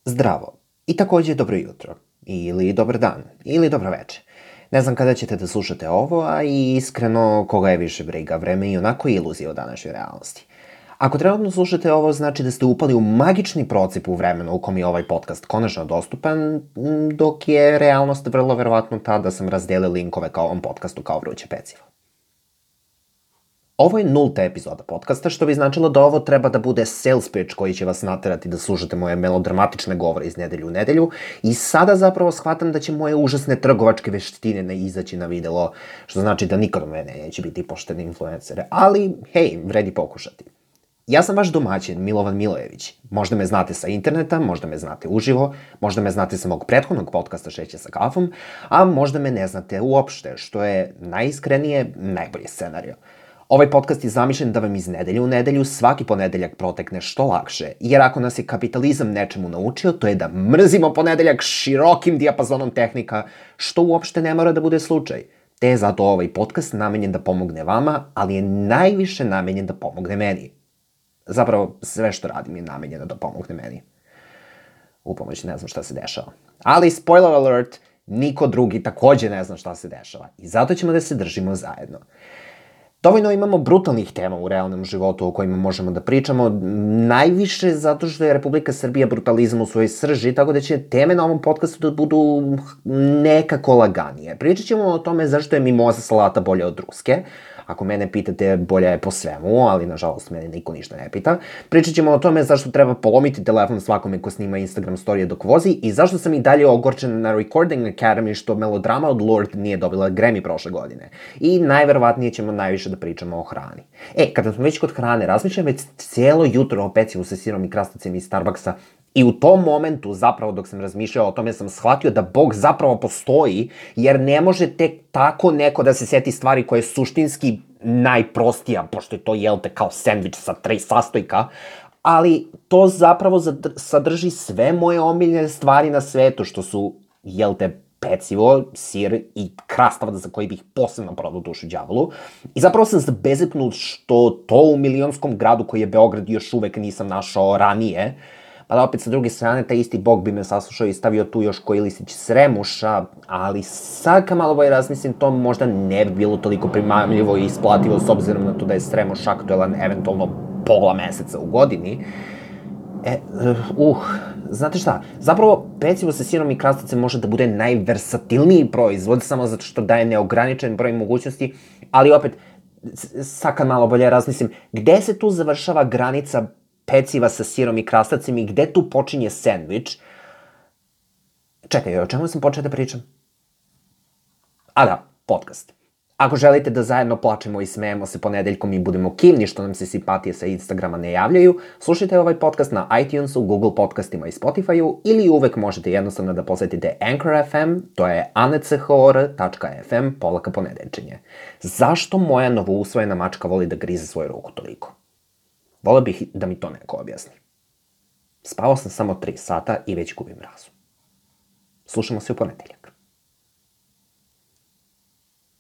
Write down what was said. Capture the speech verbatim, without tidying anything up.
Zdravo i takođe dobro jutro, ili dobar dan, ili dobro veče. Ne znam kada ćete da slušate ovo, a i iskreno koga je više briga, vreme i onako iluzija o današnjoj realnosti. Ako trenutno slušate ovo, znači da ste upali u magični procip u vremenu u kom je ovaj podcast konačno dostupan, dok je realnost vrlo verovatno ta da sam razdelio linkove ka ovom podcastu kao vruće pecivo. Ovo je nulta epizoda podcasta, što bi značilo da ovo treba da bude sales pitch koji će vas naterati da slušate moje melodramatične govore iz nedelju u nedelju i sada zapravo shvatam da će moje užasne trgovačke veštine ne izaći na videlo, što znači da nikad od mene neće biti pošteni influencere, ali hej, vredi pokušati. Ja sam vaš domaćin, Milovan Milojević. Možda me znate sa interneta, možda me znate uživo, možda me znate sa mog prethodnog podcasta Šeće sa kafom, a možda me ne znate uopšte, što je najiskrenije najbolji scenario. Ovaj podcast je zamišljen da vam iz nedelje u nedelju svaki ponedeljak protekne što lakše, jer ako nas je kapitalizam nečemu naučio, to je da mrzimo ponedeljak širokim dijapazonom tehnika, što uopšte ne mora da bude slučaj. Te je zato ovaj podcast namenjen da pomogne vama, ali je najviše namenjen da pomogne meni. Zapravo, sve što radim je namenjeno da pomogne meni. U pomoć ne znam šta se dešava. Ali, spoiler alert, niko drugi takođe ne zna šta se dešava. I zato ćemo da se držimo zajedno. Dovoljno imamo brutalnih tema u realnom životu o kojima možemo da pričamo, najviše zato što je Republika Srbija brutalizam u svojoj srži, tako da će teme na ovom podcastu da budu nekako laganije. Pričat ćemo o tome zašto je mimoza salata bolja od ruske. Ako mene pitate, bolja je po svemu, ali nažalost mene niko ništa ne pita. Pričat ćemo o tome zašto treba polomiti telefon svakome ko snima Instagram storije dok vozi i zašto sam i dalje ogorčen na Recording Academy što melodrama od Lorde nije dobila Grammy prošle godine. I najverovatnije ćemo najviše da pričamo o hrani. E, kada smo već kod hrane, razmišljam već cijelo jutro o pecivu sa sirom i krastavcem iz Starbucksa i u tom momentu, zapravo dok sam razmišljao o tome, sam shvatio da Bog zapravo postoji, jer ne može tek tako neko da se seti stvari koje je suštinski najprostija, pošto je to, jel te, kao sendvič sa tri sastojka, ali to zapravo sadrži sve moje omiljene stvari na svetu, što su, jel te, pecivo, sir i krastavac za koji bih posebno prodao dušu đavolu. I zapravo sam zabezeknut što to u milionskom gradu koji je Beograd još uvek nisam našao ranije. Pa da opet sa druge strane, taj isti Bog bi me saslušao i stavio tu još koji listić sremuša, ali sad kad malo bolje razmislim, to možda ne bi bilo toliko primamljivo i isplativo s obzirom na to da je sremuš aktuelan eventualno pola meseca u godini. E, uh, znate šta, zapravo pecivo sa sirom i krastavcem može da bude najversatilniji proizvod, samo zato što daje neograničen broj mogućnosti, ali opet, sad kad malo bolje razmislim, gde se tu završava granica peciva sa sirom i krastavcem i gde tu počinje sendvič? Čekaj, o čemu sam počeo da pričam? A da, podcast. Ako želite da zajedno plačemo i smejemo se ponedeljkom i budemo kivni što nam se simpatije sa Instagrama ne javljaju, slušajte ovaj podcast na iTunesu, Google podcastima i Spotifyu ili uvek možete jednostavno da posetite Anchor F M, to je anchor.fm polaka ponedeljčenje. Zašto moja novousvojena mačka voli da grize svoju ruku toliko? Voleo bih da mi to neko objasni. Spavao sam samo tri sata i već gubim razum. Slušamo se u ponedeljak.